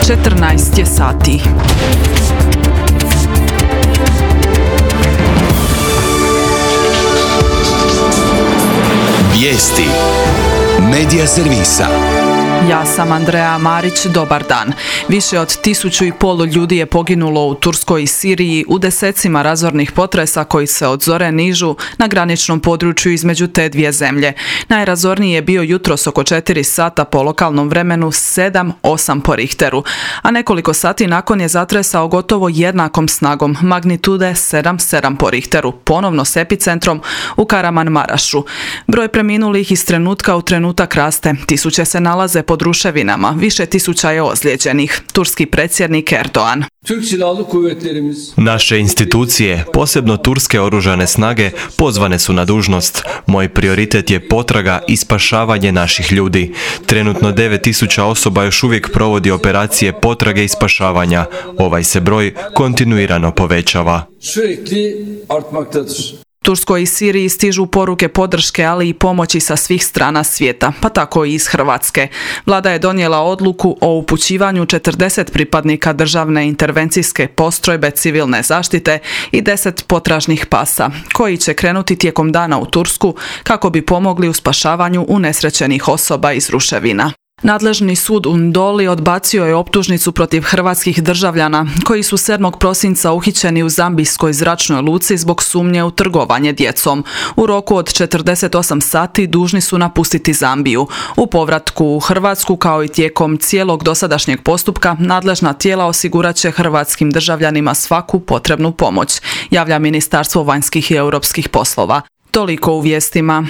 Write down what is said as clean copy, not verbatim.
14 je sati. Vijesti Medija servisa. Ja sam Andreja Marić, dobar dan. Više od 1.500 ljudi je poginulo u Turskoj i Siriji u desecima razornih potresa koji se od zore nižu na graničnom području između te dvije zemlje. Najrazorniji je bio jutros oko 4 sata po lokalnom vremenu 7-8 po Richteru, a nekoliko sati nakon je zatresao gotovo jednakom snagom magnitude 7-7 po Richteru, ponovno s epicentrom u Karamanmarašu. Broj preminulih iz trenutka u trenutak raste, tisuće se nalaze pod ruševinama, više tisuća je ozlijeđenih. Turski predsjednik Erdoğan. Naše institucije, posebno turske oružane snage, pozvane su na dužnost. Moj prioritet je potraga i spašavanje naših ljudi. Trenutno 9.000 osoba još uvijek provodi operacije potrage i spašavanja. Ovaj se broj kontinuirano povećava. Turskoj i Siriji stižu poruke podrške, ali i pomoći sa svih strana svijeta, pa tako i iz Hrvatske. Vlada je donijela odluku o upućivanju 40 pripadnika državne intervencijske postrojbe civilne zaštite i 10 potražnih pasa, koji će krenuti tijekom dana u Tursku kako bi pomogli u spašavanju unesrećenih osoba iz ruševina. Nadležni sud u Ndoli odbacio je optužnicu protiv hrvatskih državljana koji su 7. prosinca uhićeni u zambijskoj zračnoj luci zbog sumnje u trgovanje djecom. U roku od 48 sati dužni su napustiti Zambiju. U povratku u Hrvatsku kao i tijekom cijelog dosadašnjeg postupka nadležna tijela osigurat će hrvatskim državljanima svaku potrebnu pomoć, javlja Ministarstvo vanjskih i europskih poslova. Toliko u vijestima.